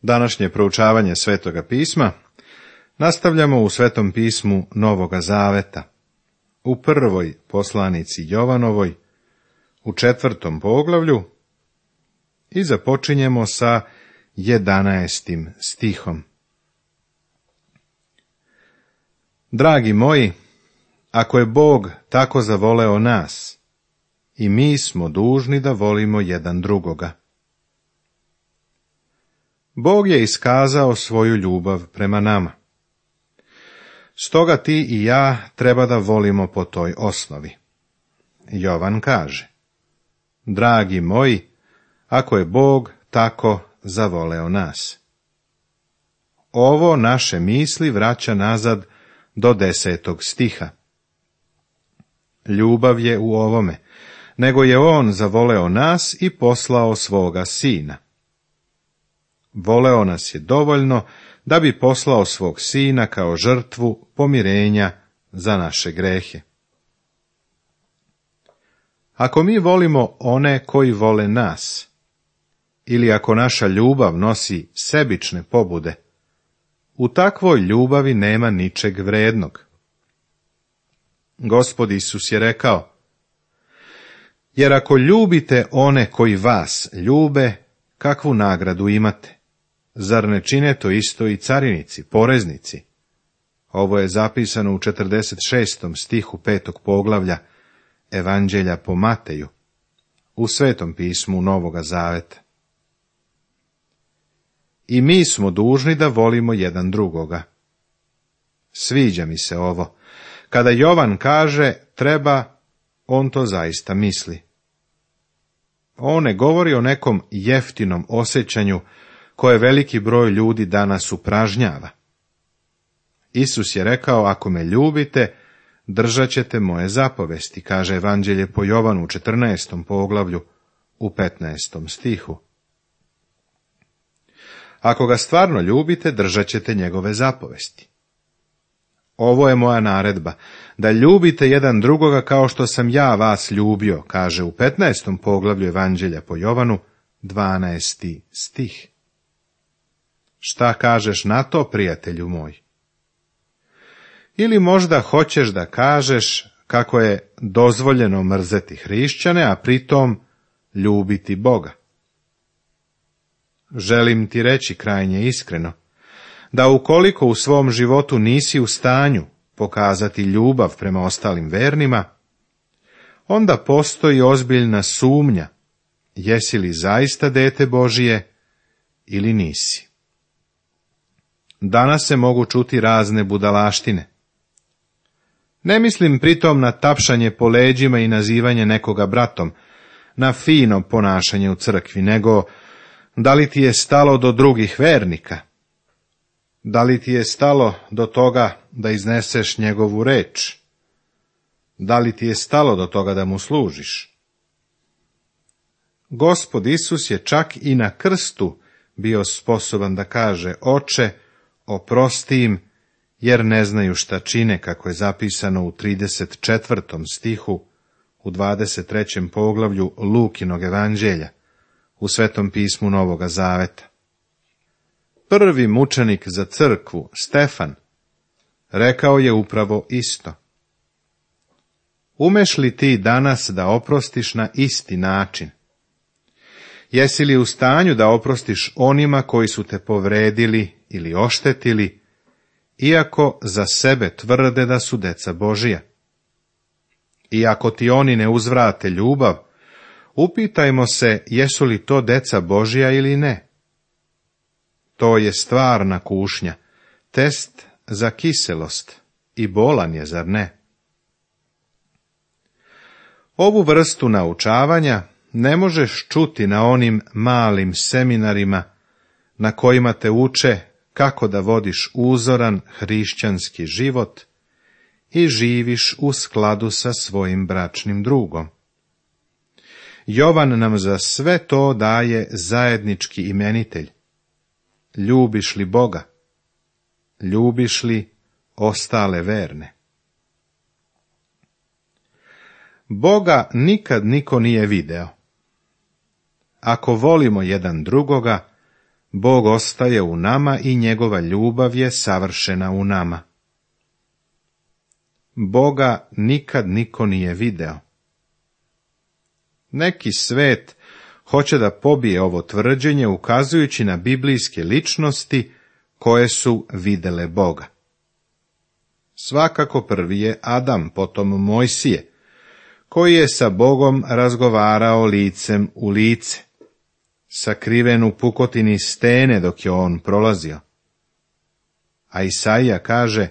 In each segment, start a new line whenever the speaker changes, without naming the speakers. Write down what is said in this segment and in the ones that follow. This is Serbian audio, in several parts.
Današnje proučavanje Svetoga pisma nastavljamo u Svetom pismu Novoga Zaveta, u prvoj poslanici Jovanovoj, u 4. poglavlju i započinjemo sa 11. stihom. Dragi moji, ako je Bog tako zavoleo nas, i mi smo dužni da volimo jedan drugoga. Bog je iskazao svoju ljubav prema nama. Stoga ti i ja treba da volimo po toj osnovi. Jovan kaže: Dragi moji, ako je Bog tako zavoleo nas. Ovo naše misli vraća nazad do 10. stiha. Ljubav je u ovome, nego je On zavoleo nas i poslao svoga Sina. Voleo nas je dovoljno da bi poslao svog Sina kao žrtvu pomirenja za naše grehe. Ako mi volimo one koji vole nas, ili ako naša ljubav nosi sebične pobude, u takvoj ljubavi nema ničeg vrednog. Gospod Isus je rekao: Jer ako ljubite one koji vas ljube, kakvu nagradu imate? Zar ne čine to isto i carinici, poreznici? Ovo je zapisano u 46. stihu 5. poglavlja Evanđelja po Mateju, u Svetom pismu Novoga Zaveta. I mi smo dužni da volimo jedan drugoga. Sviđa mi se ovo. Kada Jovan kaže treba, on to zaista misli. On ne govori o nekom jeftinom osjećanju koje veliki broj ljudi danas upražnjava. Isus je rekao: Ako me ljubite, držat ćete moje zapovesti, kaže Evanđelje po Jovanu u 14. poglavlju u 15. stihu. Ako ga stvarno ljubite, držat ćete njegove zapovesti. Ovo je moja naredba, da ljubite jedan drugoga kao što sam ja vas ljubio, kaže u 15. poglavlju Evanđelja po Jovanu, 12. stih. Šta kažeš na to, prijatelju moj? Ili možda hoćeš da kažeš kako je dozvoljeno mrzeti hrišćane, a pritom ljubiti Boga? Želim ti reći krajnje iskreno, da ukoliko u svom životu nisi u stanju pokazati ljubav prema ostalim vernima, onda postoji ozbiljna sumnja, jesi li zaista dete Božije ili nisi. Danas se mogu čuti razne budalaštine. Ne mislim pritom na tapšanje po leđima i nazivanje nekoga bratom, na fino ponašanje u crkvi, nego da li ti je stalo do drugih vernika? Da li ti je stalo do toga da izneseš njegovu reč? Da li ti je stalo do toga da mu služiš? Gospod Isus je čak i na krstu bio sposoban da kaže: Oče, oprosti im, jer ne znaju šta čine, kako je zapisano u 34. stihu u 23. poglavlju Lukinog Evanđelja, u Svetom pismu Novoga Zaveta. Prvi mučenik za crkvu, Stefan, rekao je upravo isto. Umeš li ti danas da oprostiš na isti način? Jesi li u stanju da oprostiš onima koji su te povredili ili oštetili, iako za sebe tvrde da su deca Božija? I ako ti oni ne uzvrate ljubav, upitajmo se jesu li to deca Božija ili ne. To je stvarna kušnja, test za kiselost i bolan je, zar ne? Ovu vrstu naučavanja ne možeš čuti na onim malim seminarima na kojima te uče kako da vodiš uzoran hrišćanski život i živiš u skladu sa svojim bračnim drugom. Jovan nam za sve to daje zajednički imenitelj. Ljubiš li Boga? Ljubiš li ostale verne? Boga nikad niko nije video. Ako volimo jedan drugoga, Bog ostaje u nama i njegova ljubav je savršena u nama. Boga nikad niko nije video. Neki svet hoće da pobije ovo tvrđenje ukazujući na biblijske ličnosti koje su videle Boga. Svakako prvi je Adam, potom Mojsije, koji je sa Bogom razgovarao licem u lice, sakriven u pukotini stene dok je on prolazio. A Isaija kaže: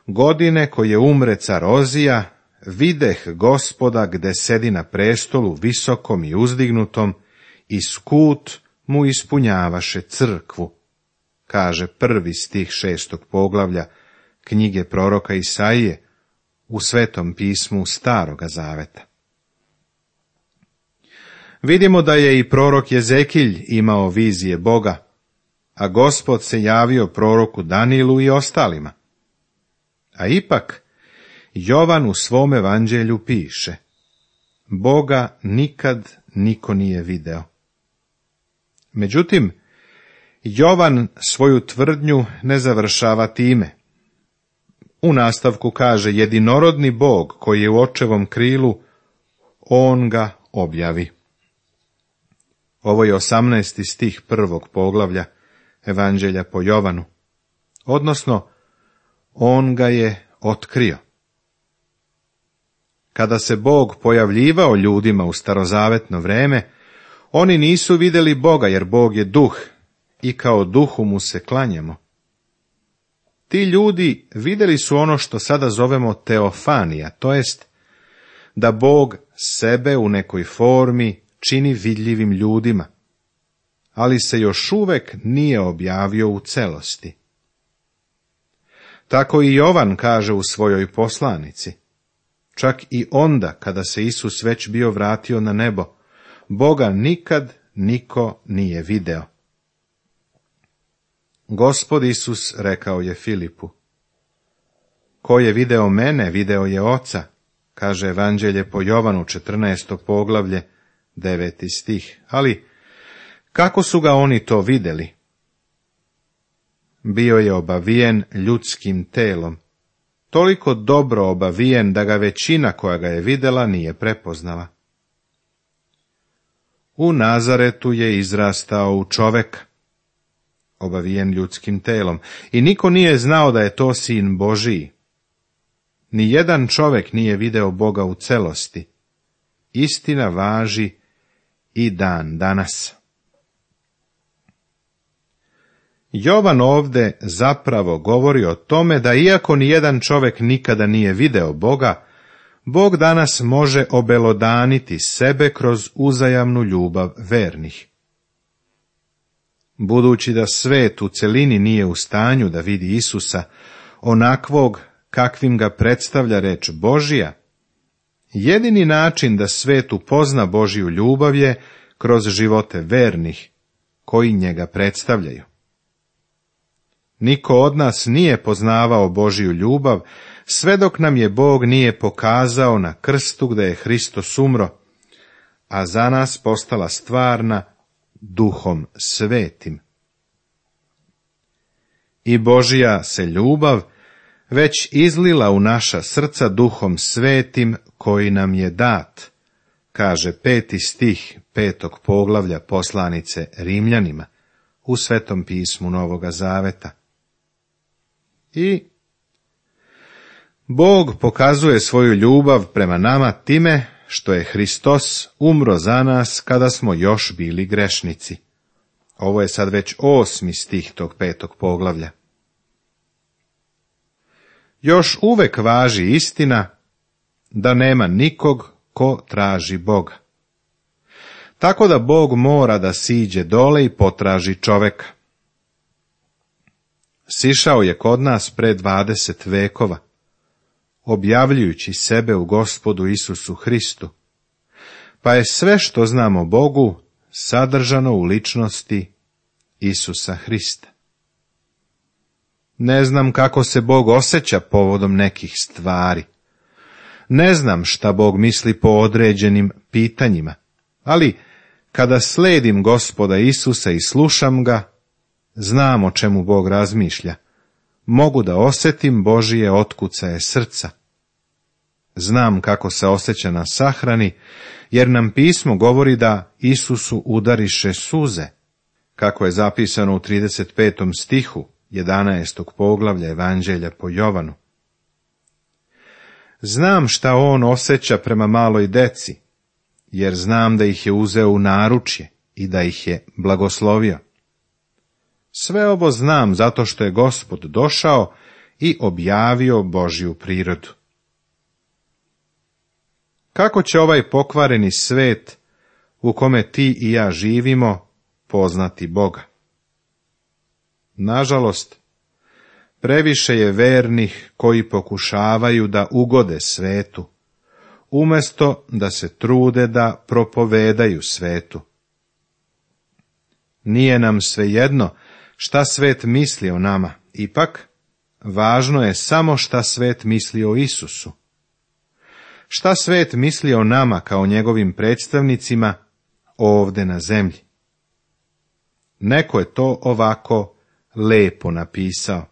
godine koje umre car Ozija, videh Gospoda gde sedi na prestolu visokom i uzdignutom, i skut mu ispunjavaše crkvu, kaže 1. stih 6. poglavlja knjige proroka Isaije u Svetom pismu Staroga zaveta. Vidimo da je i prorok Jezekilj imao vizije Boga, a Gospod se javio proroku Danilu i ostalima. A ipak, Jovan u svom evanđelju piše: Boga nikad niko nije video. Međutim, Jovan svoju tvrdnju ne završava time. U nastavku kaže: jedinorodni Bog koji je u očevom krilu, on ga objavi. Ovo je 18. stih 1. poglavlja Evanđelja po Jovanu, odnosno on ga je otkrio. Kada se Bog pojavljivao ljudima u starozavetno vreme, oni nisu vidjeli Boga, jer Bog je duh i kao duhu mu se klanjamo. Ti ljudi vidjeli su ono što sada zovemo teofanija, to jest da Bog sebe u nekoj formi čini vidljivim ljudima, ali se još uvek nije objavio u celosti. Tako i Jovan kaže u svojoj poslanici: čak i onda kada se Isus već bio vratio na nebo, Boga nikad niko nije video. Gospod Isus rekao je Filipu: ko je video mene, video je Oca, kaže Evanđelje po Jovanu 14. poglavlje 9. stih. Ali kako su ga oni to vidjeli? Bio je obavijen ljudskim telom, toliko dobro obavijen da ga većina koja ga je vidjela nije prepoznala. U Nazaretu je izrastao u čoveka, obavijen ljudskim telom, i niko nije znao da je to sin Božiji. Nijedan čovek nije video Boga u celosti. Istina važi i dan danas. Jovan ovde zapravo govori o tome da iako nijedan čovek nikada nije video Boga, Bog danas može obelodaniti sebe kroz uzajamnu ljubav vernih. Budući da svet u celini nije u stanju da vidi Isusa onakvog kakvim ga predstavlja reč Božija, jedini način da svet upozna Božiju ljubav je kroz živote vernih koji njega predstavljaju. Niko od nas nije poznavao Božiju ljubav sve dok nam je Bog nije pokazao na krstu gde je Hristos umro, a za nas postala stvarna Duhom Svetim. I Božija se ljubav već izlila u naša srca Duhom Svetim koji nam je dat, kaže 5. stih 5. poglavlja poslanice Rimljanima u Svetom pismu Novoga Zaveta. I Bog pokazuje svoju ljubav prema nama time što je Hristos umro za nas kada smo još bili grešnici. Ovo je sad već 8. stih tog 5. poglavlja. Još uvek važi istina da nema nikog ko traži Boga. Tako da Bog mora da siđe dole i potraži čoveka. Sišao je kod nas pre 20 vekova, objavljujući sebe u Gospodu Isusu Hristu, pa je sve što znamo Bogu sadržano u ličnosti Isusa Hrista. Ne znam kako se Bog osjeća povodom nekih stvari. Ne znam šta Bog misli po određenim pitanjima, ali Kada sledim Gospoda Isusa i slušam ga, znam o čemu Bog razmišlja. Mogu da osjetim Božije otkucaje srca. Znam kako se osjeća na sahrani, jer nam pismo govori da Isusu udariše suze, kako je zapisano u 35. stihu 11. poglavlja Evanđelja po Jovanu. Znam šta on osjeća prema maloj deci, jer znam da ih je uzeo u naručje i da ih je blagoslovio. Sve ovo znam zato što je Gospod došao i objavio Božju prirodu. Kako će ovaj pokvareni svet, u kome ti i ja živimo, poznati Boga? Nažalost, previše je vernih koji pokušavaju da ugode svetu, umjesto da se trude da propovedaju svetu. Nije nam svejedno šta svet misli o nama, ipak važno je samo šta svet misli o Isusu. Šta svet misli o nama kao njegovim predstavnicima ovde na zemlji? Neko je to ovako lepo napisao.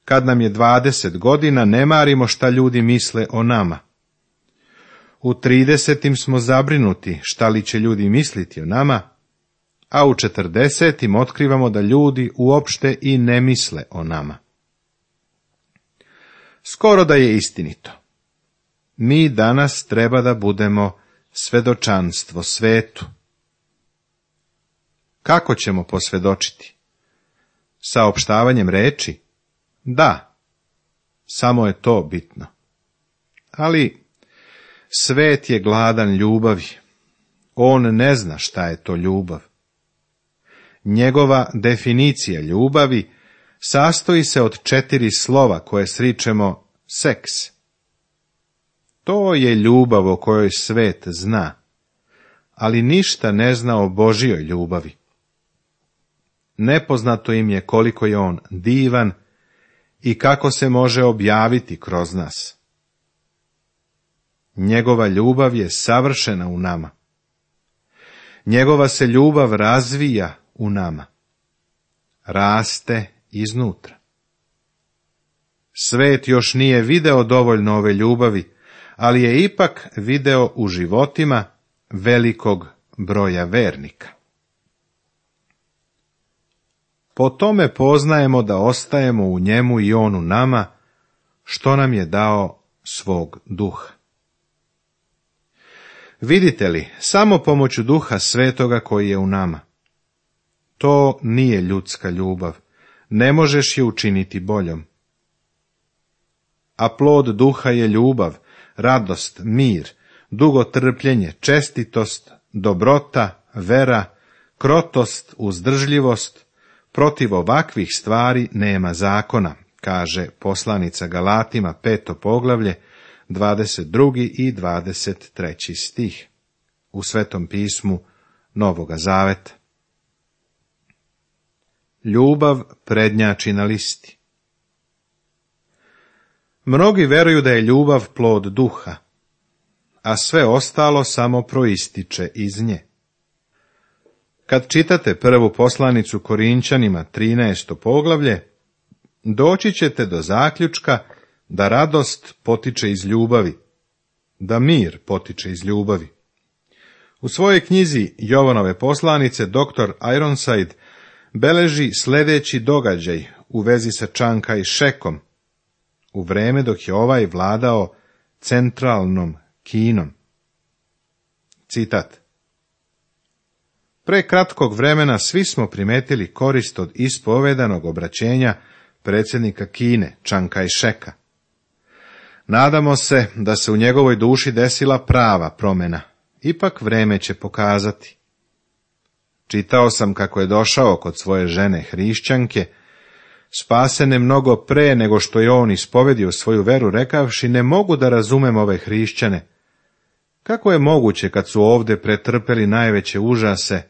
Kad nam je 20 godina, ne marimo šta ljudi misle o nama. U 30 smo zabrinuti šta li će ljudi misliti o nama, a u 40 otkrivamo da ljudi uopšte i ne misle o nama. Skoro da je istinito. Mi danas treba da budemo svedočanstvo svetu. Kako ćemo posvjedočiti? Saopštavanjem reči? Da, samo je to bitno. Ali svet je gladan ljubavi. On ne zna šta je to ljubav. Njegova definicija ljubavi sastoji se od 4 slova koje sričemo seks. To je ljubav o kojoj svet zna, ali ništa ne zna o Božjoj ljubavi. Nepoznato im je koliko je on divan i kako se može objaviti kroz nas. Njegova ljubav je savršena u nama. Njegova se ljubav razvija u nama. Raste iznutra. Svet još nije video dovoljno ove ljubavi, ali je ipak video u životima velikog broja vernika. Po tome poznajemo da ostajemo u njemu i on u nama, što nam je dao svog duha. Vidite li, samo pomoću Duha Svetoga koji je u nama. To nije ljudska ljubav, ne možeš je učiniti boljom. A plod duha je ljubav, radost, mir, dugotrpljenje, čestitost, dobrota, vera, krotost, uzdržljivost. Protiv ovakvih stvari nema zakona, kaže poslanica Galatima 5. poglavlje, 22. i 23. stih u Svetom pismu Novoga Zaveta. Ljubav prednjači na listi. Mnogi veruju da je ljubav plod duha, a sve ostalo samo proističe iz nje. Kad čitate prvu poslanicu Korinćanima 13. poglavlje, doći ćete do zaključka da radost potiče iz ljubavi, da mir potiče iz ljubavi. U svojoj knjizi Jovanove poslanice dr. Ironside beleži sljedeći događaj u vezi sa Čanka i Šekom, u vreme dok je ovaj vladao centralnom Kinom. Citat. Pre kratkog vremena svi smo primetili korist od ispovedanog obraćenja predsjednika Kine, Čanka i Šeka. Nadamo se da se u njegovoj duši desila prava promjena, ipak vreme će pokazati. Čitao sam kako je došao kod svoje žene hrišćanke, spasene mnogo pre nego što je on ispovedio svoju veru, rekavši: ne mogu da razumem ove hrišćane. Kako je moguće kad su ovde pretrpeli najveće užase,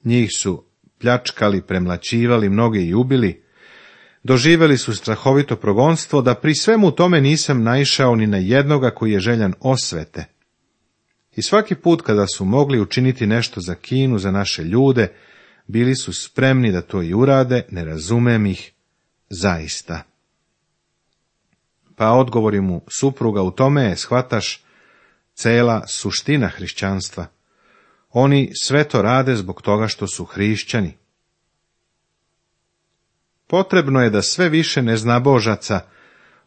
njih su pljačkali, premlaćivali, mnoge i ubili, doživjeli su strahovito progonstvo, da pri svemu tome nisam naišao ni na jednoga koji je željan osvete. I svaki put kada su mogli učiniti nešto za Kinu, za naše ljude, bili su spremni da to i urade, ne razumem ih, zaista. Pa odgovori mu supruga, u tome je, shvataš, cela suština hrišćanstva. Oni sve to rade zbog toga što su hrišćani. Potrebno je da sve više neznabožaca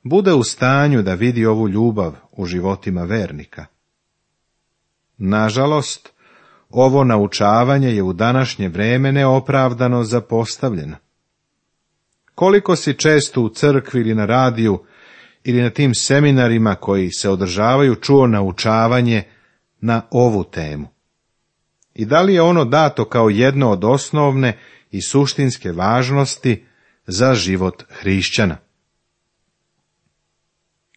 bude u stanju da vidi ovu ljubav u životima vernika. Nažalost, ovo naučavanje je u današnje vreme neopravdano zapostavljeno. Koliko si često u crkvi ili na radiju ili na tim seminarima koji se održavaju čuo naučavanje na ovu temu? I da li je ono dato kao jedno od osnovne i suštinske važnosti za život hrišćana?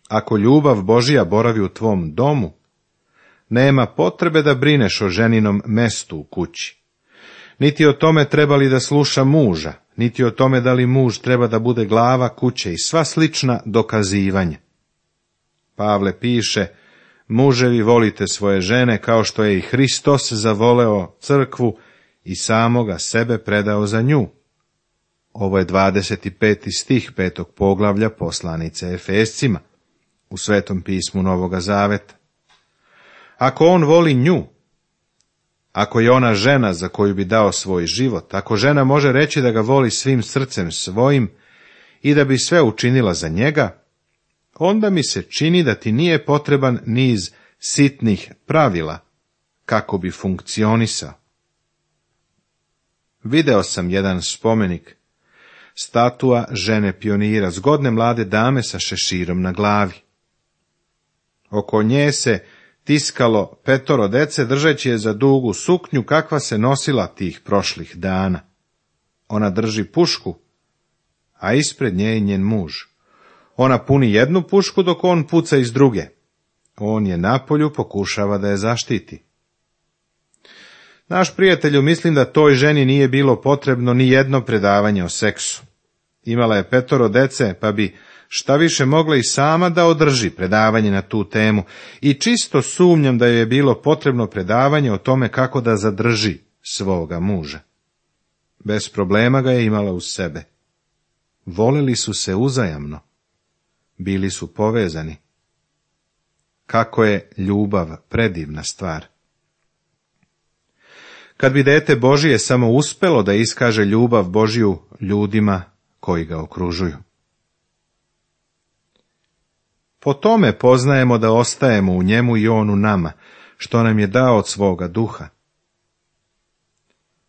Ako ljubav Božja boravi u tvom domu, nema potrebe da brineš o ženinom mestu u kući, niti o tome treba li da sluša muža, niti o tome da li muž treba da bude glava kuće i sva slična dokazivanja. Pavle piše, muževi volite svoje žene kao što je i Hristos zavoleo crkvu i samoga sebe predao za nju. Ovo je 25. stih 5. poglavlja poslanice Efescima u Svetom pismu Novoga Zaveta. Ako on voli nju, ako je ona žena za koju bi dao svoj život, ako žena može reći da ga voli svim srcem svojim i da bi sve učinila za njega, onda mi se čini da ti nije potreban niz sitnih pravila kako bi funkcionisao. Video sam jedan spomenik, statua žene pionira, zgodne mlade dame sa šeširom na glavi. Oko nje se tiskalo 5 dece, držeći je za dugu suknju kakva se nosila tih prošlih dana. Ona drži pušku, a ispred nje je njen muž. Ona puni jednu pušku dok on puca iz druge. On je napolju, pokušava da je zaštiti. Naš prijatelju, mislim da toj ženi nije bilo potrebno ni jedno predavanje o seksu. Imala je 5 dece, pa bi šta više mogla i sama da održi predavanje na tu temu, i čisto sumnjam da joj je bilo potrebno predavanje o tome kako da zadrži svoga muža. Bez problema ga je imala uz sebe. Voleli su se uzajamno. Bili su povezani. Kako je ljubav predivna stvar. Kad bi dete Božije samo uspelo da iskaže ljubav Božju ljudima koji ga okružuju. Po tome poznajemo da ostajemo u njemu i on u nama, što nam je dao od svoga duha.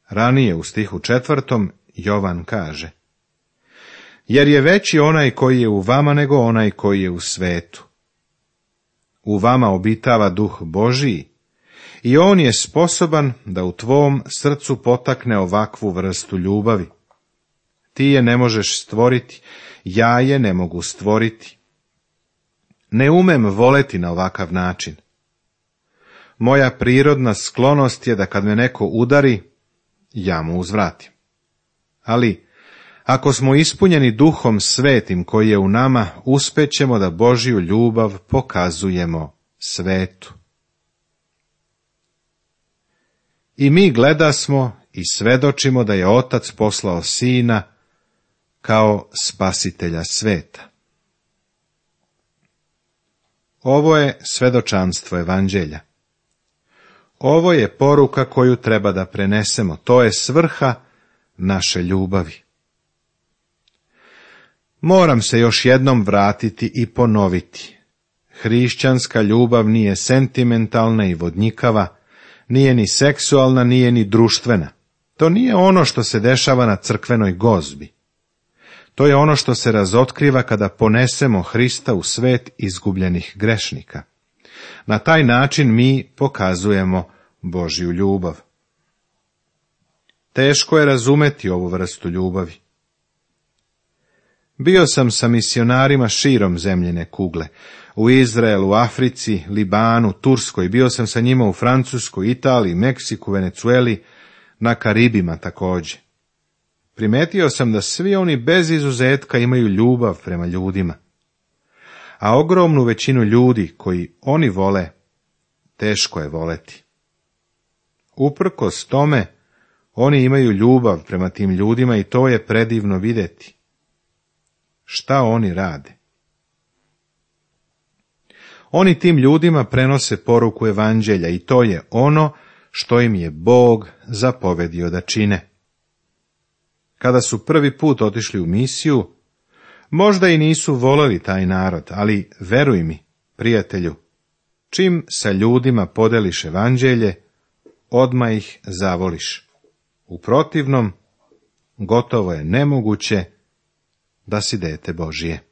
Ranije u stihu 4. Jovan kaže: jer je veći onaj koji je u vama nego onaj koji je u svetu. U vama obitava duh Božiji i on je sposoban da u tvom srcu potakne ovakvu vrstu ljubavi. Ti je ne možeš stvoriti, ja je ne mogu stvoriti. Ne umem voleti na ovakav način. Moja prirodna sklonost je da kad me neko udari, ja mu uzvratim. Ali, ako smo ispunjeni Duhom Svetim koji je u nama, uspećemo da Božju ljubav pokazujemo svetu. I mi gledasmo i svedočimo da je Otac poslao Sina kao spasitelja sveta. Ovo je svedočanstvo evanđelja. Ovo je poruka koju treba da prenesemo, to je svrha naše ljubavi. Moram se još jednom vratiti i ponoviti. Hrišćanska ljubav nije sentimentalna i vodnjikava, nije ni seksualna, nije ni društvena. To nije ono što se dešava na crkvenoj gozbi. To je ono što se razotkriva kada ponesemo Hrista u svet izgubljenih grešnika. Na taj način mi pokazujemo Božju ljubav. Teško je razumeti ovu vrstu ljubavi. Bio sam sa misionarima širom zemljine kugle, u Izraelu, Africi, Libanu, Turskoj, bio sam sa njima u Francuskoj, Italiji, Meksiku, Venecueli, na Karibima također. Primetio sam da svi oni bez izuzetka imaju ljubav prema ljudima, a ogromnu većinu ljudi koji oni vole teško je voleti. Uprkos tome, oni imaju ljubav prema tim ljudima i to je predivno vidjeti. Šta oni rade? Oni tim ljudima prenose poruku evanđelja i to je ono što im je Bog zapovedio da čine. Kada su prvi put otišli u misiju, možda i nisu voleli taj narod, ali veruj mi, prijatelju, čim sa ljudima podeliš evanđelje, odmah ih zavoliš. U protivnom, gotovo je nemoguće da si dete Božije.